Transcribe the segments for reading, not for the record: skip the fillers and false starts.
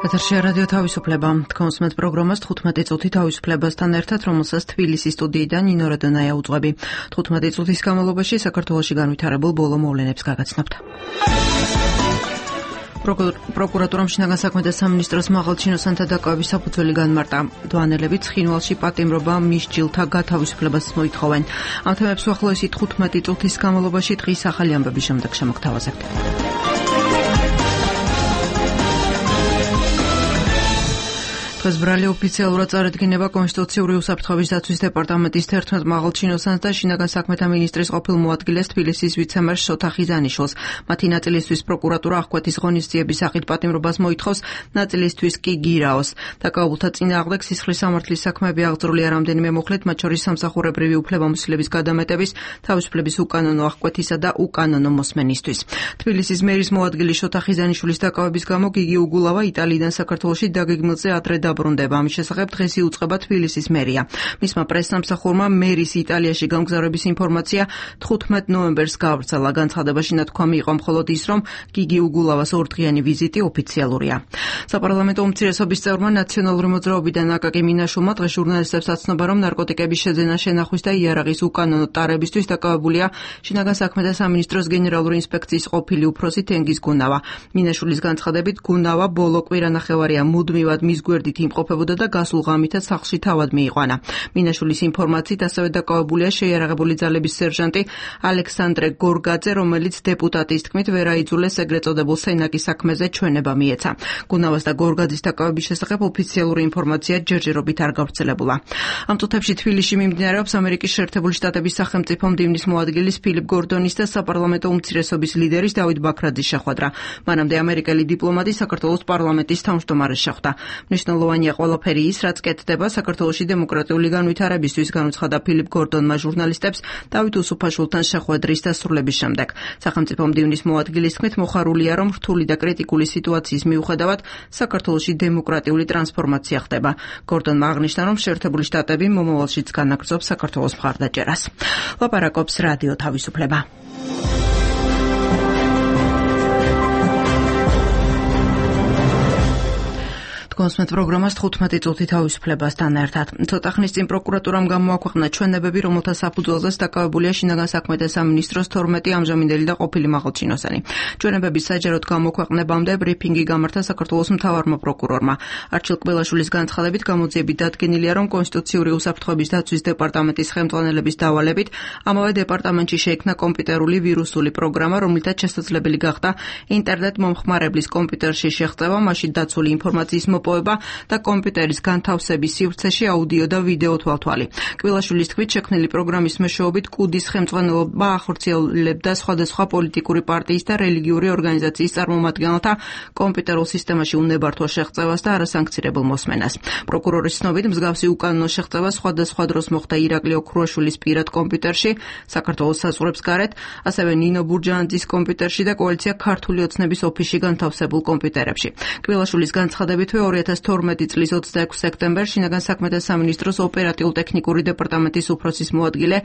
ეთერშია რადიო თავისუფლება. თქვენს მეტ პროგრამას 15 წუთი თავისუფლებასთან ერთად, რომელსაც თბილისის სტუდიიდან ნინო რადონაია უძღვები. 15 წუთის განმავლობაში საქართველოში განვითარებულ ბოლო მოვლენებს გაგაცნობთ. პროკურატურამ შინაგან საქმეთა სამინისტროს მაღალჩინოსანთა დაკავების საფუძველი განმარტა. დვანელები ცხინვალში პატიმრობა მისჯილთა გათავისუფლებას მოითხოვენ. ამ თემებს უახლოესი 15 წუთის განმავლობაში დღის ახალი ამბების შემდეგ შემოგთავაზებთ. დღეს ბრალი ოფიციალურად წარადგინება კონსტიტუციური უსაფრთხოების დაცვის დეპარტამენტის 11 მაღალჩინოსანს და შინაგან საქმეთა მინისტრის ყოფილ მოადგილეს თბილისის ვიცემერს შოთა ხიზანიშვილს. მათი ნაწილისთვის პროკურატურა აღკვეთის ღონისძიების სახით პატიმრობას მოითხოვს, ნაწილისთვის კი გირაოს. დაკავებულთა წინააღმდეგ სისხლის სამართლის საქმეები აღძრულია რამდენიმე მუხლით, მათ შორის სამსახურებრივი უფლებამოსილების გადამეტების, თავისუფლების უკანონო აღკვეთისა და უკანონო მოსმენისთვის. თბილისის მერის მოადგილი შოთა ხიზანიშვილის დაკავების გამო გიგი უგულავა იტალიიდან საქართველოში დაგეგმილზე ადრე დაბრუნდება. ამის შესახებ დღეს იუწყება თბილისის მერია. მისმა პრესსამსახურმა მერის იტალიაში გამგზავრების ინფორმაცია 15 ნოემბერს გაავრცელა. განცხადებაში ნათქვამი იყო მხოლოდ ის, რომ გიგი უგულავას ორდღიანი ვიზიტი ოფიციალურია. საპარლამენტო უმცირესობის წევრმა ნაციონალური მოძრაობიდან აკაკი მინაშვილმა დღეს ჟურნალისტებს აცნობა, რომ ნარკოტიკების შეძენა, შენახვის და იარაღის უკანონო ტარებისთვის დაკავებულია შინაგან საქმეთა სამინისტროს გენერალური ინსპექციის ყოფილი უფროსი თენგიზ გუნავა. მინაშვილის განცხადებით, გუნავა ბოლო კვირანახევარია მუდმივად მის გვერდით იმყოფებოდა და გასულ ღამითაც სახლში თავად მიიყვანა. მინაშვილის ინფორმაციით ასევე დაკავებულია შეიარაღებული ძალების სერჟანტი ალექსანდრე გორგაძე, რომელიც დეპუტატის თქმით ვერ აიძულეს ეგრეთ წოდებულ სენაკის საქმეზე ჩვენება მიეცა. გუნავას და გორგაძის დაკავების შესახებ ოფიციალური ინფორმაცია ჯერჯერობით არ გავრცელებულა. ამ წუთებში თბილისში მიმდინარეობს ამერიკის შეერთებული შტატების სახელმწიფო მდივნის მოადგილის ფილიპ გორდონის და საპარლამენტო უმცირესობის ლიდერის დავით ბაქრაძის შეხვედრა. მანამდე ამერიკელი დიპლომატი საქართველოს პარლამენტის თავმჯდომარეს შეხვდა. მნიშვნელოვანია ყველაფერი ის, რაც კეთდება საქართველოში დემოკრატიული განვითარებისთვის, განუცხადა ფილიპ გორდონმა ჟურნალისტებს დავით უსუფაშვილთან შეხვედრის დასრულების შემდეგ. სახელმწიფო მდივნის მოადგილის თქმით, მოხარულია, რომ რთული და კრიტიკული სიტუაციის მიუხედავად საქართველოში დემოკრატიული ტრანსფორმაცია ხდება. გორდონმა აღნიშნა, რომ შეერთებული შტატები მომავალშიც განაგრძობს საქართველოს მხარდაჭერას. ლაპარაკობს რადიო თავისუფლება. კონსმეთ პროგრამას 15 წუთი თავისუფლებასთან ერთად. ცოტა ხნის წინ პროკურატურამ გამოაქვეყნა ჩვენებები, რომელთა საფუძველზეც დაკავებულია შინაგან საქმეთა სამინისტროს 12 ამჟამინდელი და ყოფილი მაღალჩინოსანი. ჩვენებების საჯაროდ გამოქვეყნებამდე ბრიფინგი გამართა საქართველოს მთავარმა პროკურორმა. არჩილ კბილაშვილის განცხადებით გამოძიებით დადგენილია, რომ კონსტიტუციური უსაფრთხოების დაცვის დეპარტამენტის ხელმძღვანელების დავალებით ამავე დეპარტამენტში შეიქმნა კომპიუტერული ვირუსული პროგრამა, რომლითაც შესაძლებელი გახდა ინტერნეტ მომხმარებლის კომპიუტერში შეღწევა, მასში დაცული ინფორმაციის და კომპიუტერის განთავსების სივრცეში აუდიო და ვიდეო თვალთვალი. კბილაშვილის თქმით, შექმნილი პროგრამის მეშვეობით კუდის ხელმძღვანელობა ახორციელებდა სხვადასხვა პოლიტიკური პარტიის და რელიგიური ორგანიზაციის წარმომადგენელთა კომპიუტერულ სისტემაში უნებართვო შეღწევას და არასანქცირებულ მოსმენას. პროკურორის ცნობით, მსგავსი უკანონო შეღწევა სხვადასხვა დროს მოხდა ირაკლი ოქრუაშვილის პირად კომპიუტერში, საქართველოს საზღვრებს გარეთ, ასევე ნინო ბურჯანაძის კომპიუტერში და კოალიცია ქართული ოცნების ოფისში განთავსებულ კომპიუტერებში. კბილაშვილის განცხადებითვე 2012 წლის 26 სექტემბერს შინაგან საქმეთა სამინისტროს ოპერატიულ-ტექნიკური დეპარტამენტის უფროსის მოადგილე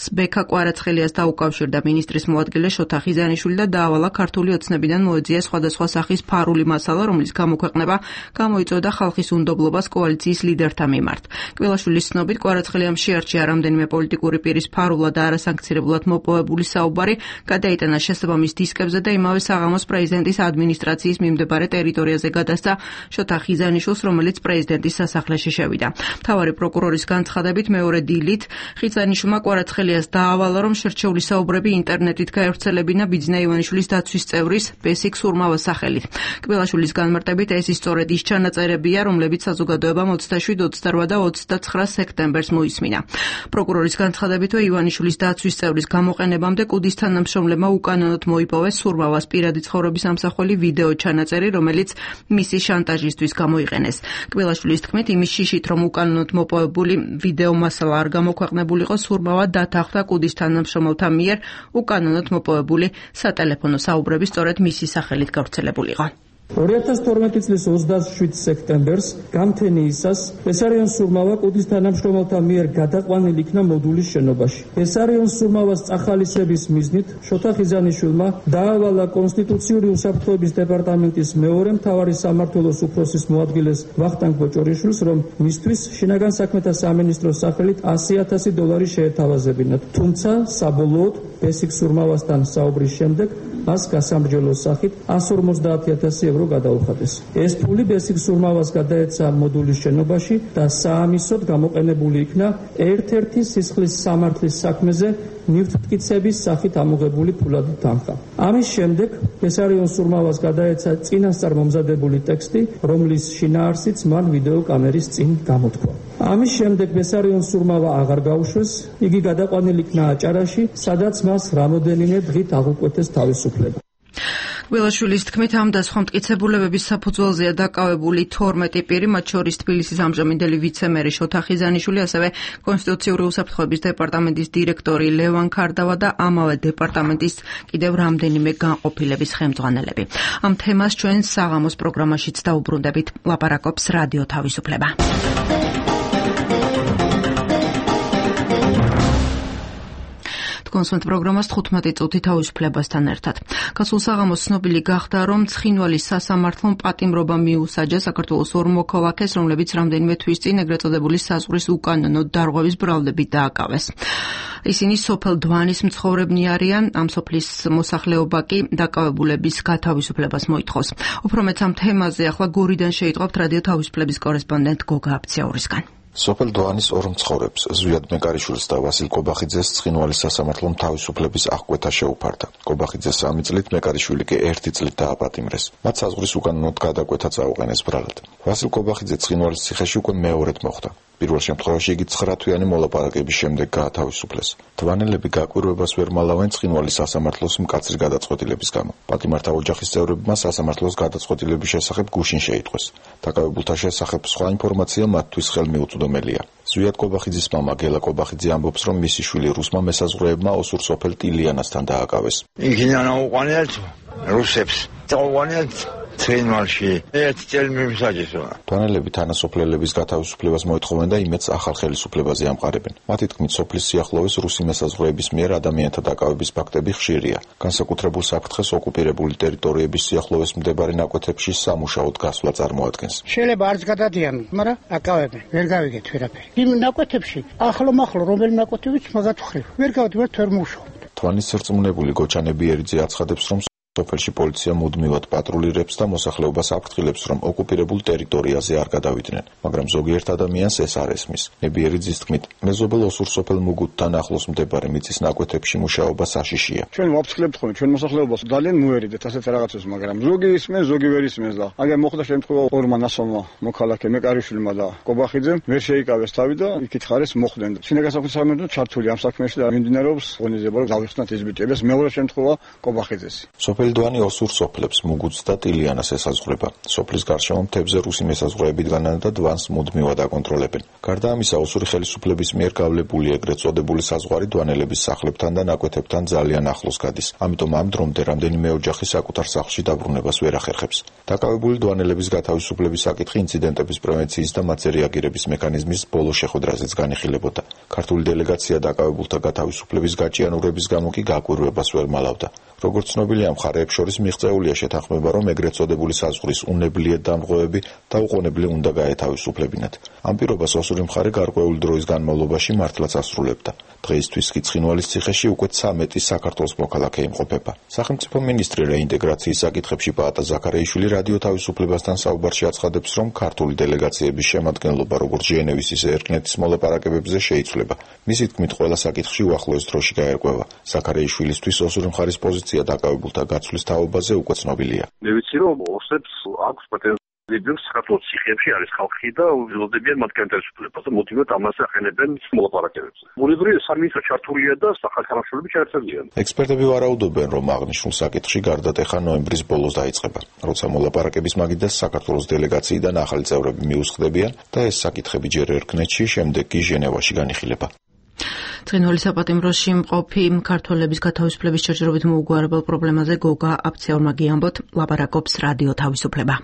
სბექა კვარაცხელიას დაუკავშირდა მინისტრის მოადგილე შოთა ხიზანიშვილი და დაავალა ქართული ოცნებიდან მოეძია სხვადასხვა სახის ფარული მასალა, რომლის გამოქვეყნება გამოიწვევდა ხალხის უნდობლობას კოალიციის ლიდერთა მიმართ. კბილაშვილის ცნობით, კვარაცხელიამ შეარჩია რამდენიმე პოლიტიკური პირის ფარულად და არასანქცირებლად მოპოვებული საუბარი, გადაიტანა შესაბამის დისკებზე და იმავე საღამოს პრეზიდენტის ადმინისტრაციის მიმდებარე ტერიტორიაზე გადასცა შოთა ხიზანიშვილს, რომელიც პრეზიდენტის სასახლეში შევიდა. მთავარი პროკურორის განცხადებით, მეორე დილით ხიზანიშვილმა კვარაცხელიას დაავალა, რომ შერჩეული საუბრები ინტერნეტით გაევრცელებინა ბიძინა ივანიშვილის დაცვის წევრის ბესიკ სურმავას სახელით. კბილაშვილის განმარტებით, ეს ისწორედ ის ჩანაწერებია, რომლებიც საზოგადოებამ 27, 28 და 29 სექტემბერს მოისმინა. პროკურორის განცხადებითვე ივანიშვილის დაცვის წევრის გამოყენებამდე კუდის თანამშრომლებმა უკანონოდ მოიპოვეს სურმავას პირადი ცხოვრების ამსახველი ვიდეო ჩანაწერი, რომელიც მისი შანტაჟისთვის გამოიყენეს. კბილაშვილის თქმით, იმის შიშით, რომ უკანონოდ მოპოვებული ვიდეო მასალა არ გამოქვეყნებულიყო, სურმავა დათანხმდა კუდის თანამშრომელთა მიერ უკანონოდ მოპოვებული სატელეფონო საუბრები სწორედ მისი სახელით გავრცელებულიყო. 2012 წლის 27 სექტემბერს გამთენიისას ბესარიონ სურმავა კუდის თანამშრომელთა მიერ გადაყვანილი იქნა მოდულის შენობაში. ბესარიონ სურმავას წახალისების მიზნით შოთა ხიზანიშვილმა დაავალა კონსტიტუციური უსაფრთხოების დეპარტამენტის მეორე მთავარი სამმართველოს უფროსის მოადგილეს ვახტანგ ბოჭორიშვილს, რომ მისთვის შინაგან საქმეთა სამინისტროს სახელით $100,000 შეეთავაზებინათ. თუმცა საბოლოოდ ბესიკ სურმავასთან საუბრის შემდეგ მას გასამრჯელოს სახით €150,000 გადაუხადეს. ეს ფული ბესიკ სურმავას გადაეცა მოდულის შენობაში და საამისოდ გამოყენებული იქნა ერთ-ერთი სისხლის სამართლის საქმეზე ნივთმტკიცების სახით ამოღებული ფულადი თანხა. ამის შემდეგ ბესარიონ სურმავას გადაეცა წინასწარ მომზადებული ტექსტი, რომლის შინაარსიც მან ვიდეო კამერის წინ გამოთქვა. ამის შემდეგ ბესარიონ სურმავა აღარ გაუშვეს, იგი გადაყვანილი იქნა აჭარაში, სადაც მას რამოდენიმე დღით აღუკვეთეს თავისუფლება. გველაშვილის თქმით, ამ და სხვა მტკიცებულებების საფუძველზეა დაკავებული 12 პირი, მათ შორის თბილისის ამჟამინდელი ვიცე-მერი შოთა ხიზანიშვილი, ასევე კონსტიტუციური უსაფრთხოების დეპარტამენტის დირექტორი ლევან ქარდავა და ამავე დეპარტამენტის კიდევ რამდენიმე განყოფილების ხელმძღვანელები. ამ თემას ჩვენ საღამოს პროგრამაშიც დაუბრუნდებით. ლაპარაკობს რადიო თავისუფლება. კონსულტ პროგრამას 15 წუთი თავისუფლებასთან ერთად. გასულ საღამოს ცნობილი გახდა, რომ ცხინვალის სასამართლომ პატიმრობა მიუსაჯა საქართველოს ორ მოქალაქეს, რომლებიც რამდენიმე თვის წინ ეგრეთ წოდებული საზღვრის უკანონო დარღვევის ბრალდებით დააკავეს. ისინი სოფელ დვანის მცხოვრებნი არიან, ამ სოფლის მოსახლეობა კი დაკავებულების გათავისუფლებას მოითხოვს. უფრო მეც ამ თემაზე ახლა გორიდან შეიტყობთ რადიო თავისუფლების კორესპონდენტ გოგა აბციაურისგან. სოფელ დვანის ორ მცხოვრებს, ზვიად მეკარიშვილს და ვასილ კობახიძეს ცხინვალის სასამართლომ თავისუფლების აღკვეთა შეუფარდა. კობახიძე 3 წლით, მეკარიშვილი კი 1 წლით დააპატიმრეს. მათ საზღვრის უკანონოდ გადაკვეთა წაუყენეს ბრალად. ვასილ კობახიძე ცხინვალის ციხეში უკვე მეორედ მოხვდა. პირველ შემთხვევაში იგი 9 თვიანი მოლაპარაკების შემდეგ გაათავისუფლეს. დვანელები გაკვირვებას ვერ მალავენ ცხინვალის სასამართლოს მკაცრი გადაწყვეტილების გამო. პატიმართა ოჯახის წევრებმა სასამართლოს გადაწყვეტილების შესახებ გუშინ შეიტყვეს. დაკავებულთა შესახებ სხვა ინფორმაცია მათთვის ხელმიუწვდომელია. ზვიად კობახიძის მამა გელა კობახიძე ამბობს, რომ მისი შვილი რუსმა მესაზღვრეებმა ოსურ სოფელ ტილიანასთან დააკავეს. იქიდან აუყანეთ რუსებს. წაუყანეთ ცხინვალში. ერთ წელი მიმსაჯესო. დვანელები თანასოფლელების გათავისუფლებას მოითხოვენ და იმედს ახალ ხელისუფლებაზე ამყარებენ. მათი თქმით, სოფლის სიახლოვეს რუსი მესაზღვრეების მიერ ადამიანთა დაკავების ფაქტები ხშირია. განსაკუთრებულ საფრთხეს ოკუპირებული ტერიტორიების სიახლოვეს მდებარე ნაკვეთებში სამუშაოდ გასვლა წარმოადგენს. შეიძლება არც გადადიან, მაგრამ აკავებენ. ვერ გავიგეთ ვერაფერი. იმ ნაკვეთებში ახლო-მახლო რომელი ნაკვეთებიც მაგათხრევ. ვერ გავდივართ, ვერ მუშაობ. თვანის სერწმუნებული გოჩანებიერიძე აცხადებს, რომ სოფელში პოლიცია მუდმივად პატრულირებს და მოსახლეობას აფრთხილებს, რომ ოკუპირებულ ტერიტორიაზე არ გადავიდნენ, მაგრამ ზოგიერთ ადამიანს ეს არ ესმის. ნებიერიძის თქმით, მეზობელ ოსურ სოფელ მუგუთთან ახლოს მდებარე მიწის ნაკვეთებში მუშაობა საშიშია. ჩვენ ვაფრთხილებთ ხოლმე ჩვენ მოსახლეობას ძალიან მოერიდეთ ასეთ რაღაცებს, მაგრამ ზოგი ისმენს, ზოგი ვერ ისმენს და აგერ მოხდა შემთხვევა ორმა ნასოვმა მოქალაქე მეკარიშვილმა და კობახიძემ ვერ შეიკავეს თავი და იქით ხარეს მოხვდნენ. შინაგან საქმეთა სამინისტრო ჩართული ამ საქმეში და მიმდინარეობს ღონისძიება, რომ გავიხსნათ ეს ბიჭები. მეორე შემთხვევა კობახიძეს. სოფელდვანი ოსურ სოფლებს მუგუთს და ტილიანას ესაზღვრება. სოფლის გარშემო მთებზე რუსი მესაზღვრეებიდან და დვანს მუდმივად აკონტროლებენ. გარდა ამისა, ოსური ხელისუფლების მიერ გავლებული ეგრეთ წოდებული საზღვარი დვანელების სახლებთან და ნაკვეთებთან ძალიან ახლოს გადის. ამიტომ ამ დრომდე რამდენიმე ოჯახი საკუთარ სახლში დაბრუნებას ვერ ახერხებს. დაკავებული დვანელების გათავისუფლების საკითხი ინციდენტების პრევენციის და მათზე რეაგირების მექანიზმის ბოლო შეხვედრაზეც განიხილებოდა. ქართული დელეგაცია დაკავებულთა გათავისუფლების გაჭიანურების გამო კი გაკვირვებას ვერ მალავდა. როგორც ცნობილია, მხარეებს შორის მიღწეულია შეთანხმება, რომ ეგრეთ წოდებული საზღვრის უნებლიეთ დამრღვევები დაუყოვნებლივ უნდა გაეთავისუფლებინათ. ამ პირობას ოსური მხარე გარკვეული დროის განმავლობაში მართლაც ასრულებდა. დღეისთვის კი ცხინვალის ციხეში უკვე 13 საქართველოს მოქალაქე იმყოფება. სახელმწიფო მინისტრი რეინტეგრაციის საკითხებში პაატა ზაქარიაშვილი რადიო თავისუფლებასთან საუბარში აცხადებს, რომ ქართული დელეგაციების შემადგენლობა როგორც ჟენევის, ისე ერკნეთის მოლაპარაკებებზე შეიცვლება. მისი თქმით, ყველა საკითხში უახლოეს დროში გაერკვევა. ზაქარიაშვილისთვის ოსური მხარის პოზიცია დაკავებულთა გაცვლის თაობაზე უკვე ცნობილია. მე ვიცი, რომ ოსებს აქვს პრეტენზიები საქართველოს ციხეებში არის ხალხი და უძლოდებიან მათ განთავისუფლებას და მოტივად ამას ახენებენ მოლაპარაკებებს. ბუნებრივია სამინისტრო ჩართულია და სახელმწიფოები ჩართულიან. ექსპერტები ვარაუდობენ, რომ აღნიშნულ საკითხში გარდატეხა ნოემბრის ბოლოს დაიწყება, როცა მოლაპარაკების მაგიდას საქართველოს დელეგაციიდან ახალი წევრები მიუსხდებიან და ეს საკითხები ჯერ ერკნეთში, შემდეგ კი ჟენევაში განიხილება. ცხინვალის საპატიმროში მყოფი ქართველების გათავისუფლების ჩაჯერობით მოუგვარებელ პრობლემაზე გოგა აფცეორმა გიამბოთ, ლაპარაკობს რადიო თავისუფლება.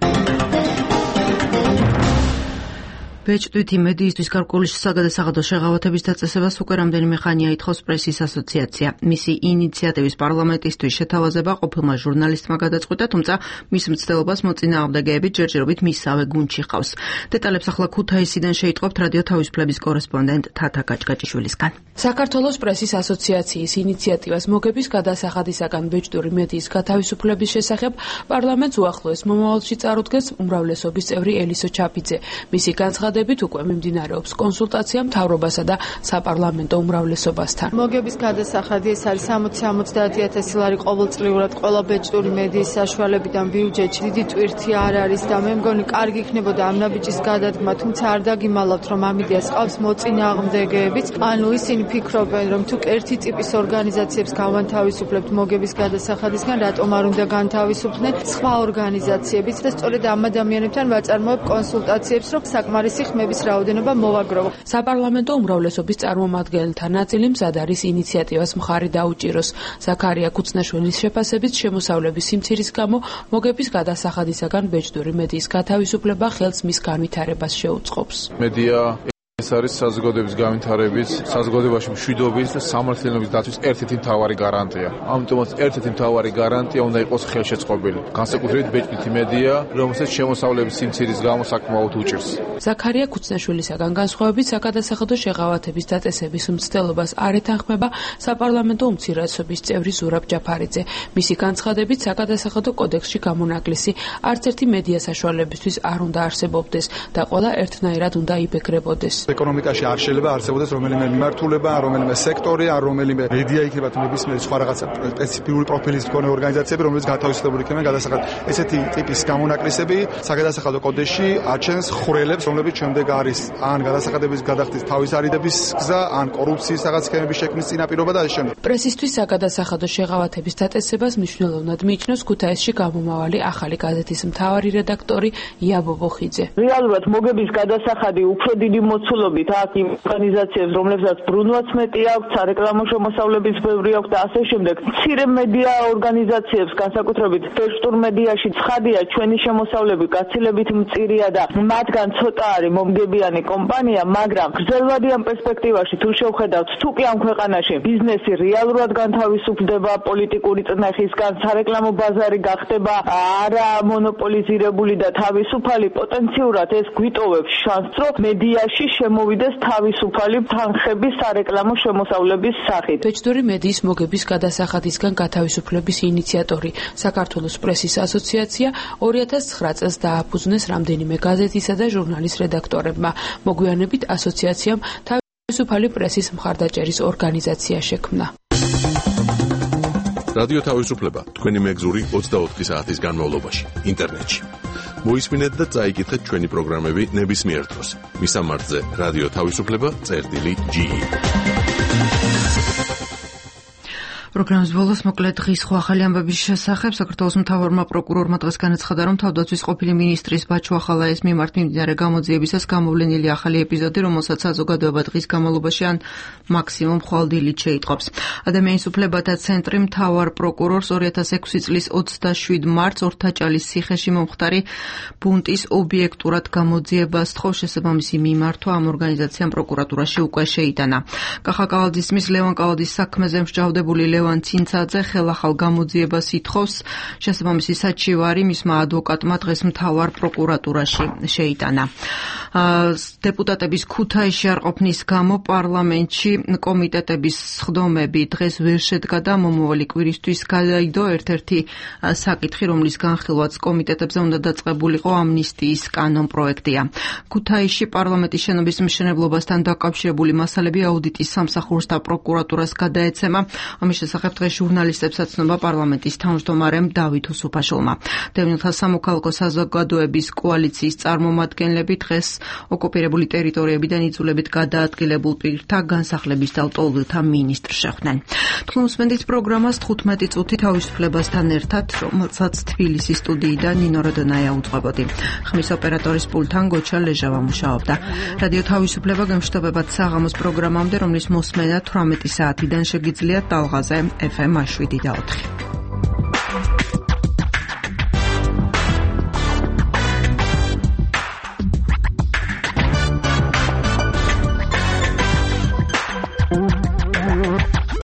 ბეჭდვითი მედიისთვის გარკვეული საგადასაღადო შეღავათების დაწესებას უკვე რამდენიმე ხანია ითხოვს პრესის ასოციაცია. მისი ინიციატივის პარლამენტისთვის შეთავაზება ყოფილმა ჟურნალისტმა გადაწყვიტა, თუმცა მის მცდელობას მოწინააღმდეგეები ჯერჯერობით მისავე გუნდში ჰყავს. დეტალებს ახლა ქუთაისიდან შეიტყობთ რადიო თავისუფლების კორესპონდენტ თათა გაჭგაჭიშვილისგან. საქართველოს პრესის ასოციაციის ინიციატივას მოგების გადასახადისაგან ბეჭდური მედიის გათავისუფლების შესახებ პარლამენტს უახლოეს მომავალში წარუდგეს უმრავლესობის წევრი ელისო ჩაფიძე. მისი განცხადებით უკვე მიმდინარეობს კონსულტაცია მთავრობასა და საპარლამენტო უმრავლესობასთან. მოგების გადასახადი ეს არის 60-70,000 ლარი ყოველწლიურად ყველა ბეჭდური მედიის საშუალებიდან ბიუჯეტში. დიდი ტვირთი არ არის და მე მგონი კარგი იქნებოდა ამ ნაბიჯის გადადგმა, თუმცა არ დაგიმალავთ, რომ ამ იდეას ყავს მოწინააღმდეგეებიც. ანუ ისინი ფიქრობენ, რომ თუ ერთი ტიპის ორგანიზაციებს გავანთავისუფლებთ მოგების გადასახადისგან, რატომ არ უნდა განთავისუფლდნენ სხვა ორგანიზაციებიც და სწორედ ამ ადამიანებთან ვაწარმოებ კონსულტაციებს, რომ საკმარისი ხმების რაოდენობა მოვაგროვო. საპარლამენტო უმრავლესობის წარმომადგენელთა ნაწილი მზად არის ინიციატივას მხარი დაუჭიროს. ზაქარია ქუცნაშვილის შეფასებით შემოსავლების სიმცირის გამო მოგების გადასახადისაგან ბეჭდური მედიის გათავისუფლება ხელს მის განვითარებას შეუწყობს. მედია ეს არის საზოგადოების განვითარების, საზოგადოებაში მშვიდობის და სამართლიანობის დაცვის ერთ-ერთი მთავარი გარანტია. ამიტომაც ერთ-ერთი მთავარი გარანტია უნდა იყოს ხელშეწყობილი. განსაკუთრებით ბეჭდვითი მედია, რომელსაც შემოსავლების სიმცირის გამო საკმაოდ უჭირს. ზაქარია ქუცნაშვილისაგან განსხვავებით საგადასახადო შეღავათების დაწესების მცდელობას არ ეთანხმება საპარლამენტო უმცირესობის წევრი ზურაბ ჯაფარიძე. მისი განცხადებით საგადასახადო კოდექსში გამონაკლისი არც ერთი მედია საშუალებისთვის არ უნდა არსებობდეს და ყველა ერთნაირად უნდა იბეგრებოდეს. ეკონომიკაში არ შეიძლება არსებობდეს რომელიმე მიმართულება, რომელიმე სექტორი, ან რომელიმე მედია იქნება თუ ნებისმიერი სხვა რაღაცა სპეციფიკური პროფილის მქონე ორგანიზაციები, რომელიც გათავისუფლებული იქნება გადასახადად. ესეთი ტიპის გამონაკლისები საგადასახადო კოდექსში აჩენს ხვრელებს, რომლებიც შემდეგ არის ან გადასახადების გადახდის თავის არიდების გზა, ან კორუფციის რაღაც სქემების შექმნის წინაპირობა და ეს შემდეგ. პრესისთვის საგადასახადო შეღავათების დაწესებას მნიშვნელოვნად მიიჩნევს ქუთაისში გამომავალი ახალი გაზეთის მთავარი რედაქტორი იაბო ბოხიძე. რეალურად მოგების გადასახადი უფრო დიდი მოცულობით აქ იმ ორგანიზაციებს, რომლებსაც ბრუნვაც მეტი აქვს, სარეკლამო შემოსავლების ბევრი აქვს და ასე შემდეგ. მცირე მედია ორგანიზაციებს, განსაკუთრებით ბეჭდურ მედიაში ცხადია ჩვენი შემოსავლები გაცილებით მწირია და მათგან ცოტა არის მომგებიანი კომპანია, მაგრამ გრძელვადიან პერსპექტივაში თუ შევხედავთ, თუ კი ამ ქვეყანაში ბიზნესი რეალურად განთავისუფლდება პოლიტიკური წნეხისგან, სარეკლამო ბაზარი გახდება არა მონოპოლიზირებული და თავისუფალი, პოტენციურად ეს გვიტოვებს შანსს, რომ მედიაში შემოვიდეს თავისუფალი თანხების სარეკლამო შემოსავლების სახით. ბეჭდური მედიის მოგების გადასახადისგან გათავისუფლების ინიციატორი საქართველოს პრესის ასოციაცია 2009 წელს დააფუძნეს რამდენიმე გაზეთისა და ჟურნალის რედაქტორებმა. მოგვიანებით ასოციაციამ თავისუფალი პრესის მხარდაჭერის ორგანიზაცია შექმნა. რადიო თავისუფლება თქვენი მეგზური 24 საათის განმავლობაში ინტერნეტში. მოისმინეთ და წაიკითხეთ ჩვენი პროგრამები ნებისმიერ დროს. მისამართზე რადიო თავისუფლება.ge. პროგრამის ბოლოს მოკლედ დღის სხვა ახალი ამბების შესახებ საქართველოს მთავარმა პროკურორმა დღეს განაცხადა, რომ თავდაცვის ყოფილი მინისტრის ბაჩო ახალაიას მიმართ მიმდინარე გამოძიებისას გამოვლენილი ახალი ეპიზოდი, რომელსაც საზოგადოება დღის განმავლობაში ან მაქსიმუმ ხვალ დილით შეიტყობს. ადამიანის უფლებათა ცენტრი მთავარ პროკურორს 2006 წლის 27 მარტს ორთაჭალის ციხეში მომხდარი ბუნტის ობიექტურად გამოძიებას თხოვს. შესაბამისი მიმართვა ამ ორგანიზაციამ პროკურატურაში უკვე შეიტანა. კახა კალადისმის ლევან კალადის საქმეზე მსჯავრდებული ლევან ცინცაძე ხელახალ გამოძიებას ითხოვს. შესაბამისი საჩივარი მისმა ადვოკატმა დღეს მთავარ პროკურატურაში შეიტანა. დეპუტატების ქუთაისში არ ყოფნის გამო პარლამენტში კომიტეტების სხდომები დღეს ვერ შედგა და მომავალი კვირისთვის გადაიდო ერთ-ერთი საკითხი, რომლის განხილვაც კომიტეტებზე უნდა დაწყებულიყო ამნისტიის კანონპროექტია. ქუთაისში პარლამენტის შენობის მშენებლობასთან დაკავშირებული მასალები აუდიტის სამსახურს და პროკურატურას გადაეცემა. ამის შესახებ დღეს ჟურნალისტებსაც ცნობა პარლამენტის თავმჯდომარემ დავით უსუფაშვილმა. დევნილთა სამოქალაქო საზოგადოების კოალიციის წარმომადგენლები დღეს ოკუპირებული ტერიტორიებიდან იძულებით გადაადგილებულ პირთა განსახლების და ლტოლვილთა მინისტრს შეხვდნენ. თქვენ უსმენთ პროგრამას 15 წუთი თავისუფლებასთან ერთად, რომელსაც თბილისის სტუდიიდან ნინო როდონაია უძღვებოდი. ხმის ოპერატორის პულტთან გოჩა ლეჟავა მუშაობდა. რადიო თავისუფლება გემშვიდობებად საღამოს პროგრამამდე, რომლის მოსმენა 18 საათიდან შეგიძლიათ ტალღაზე FM 7 და 4.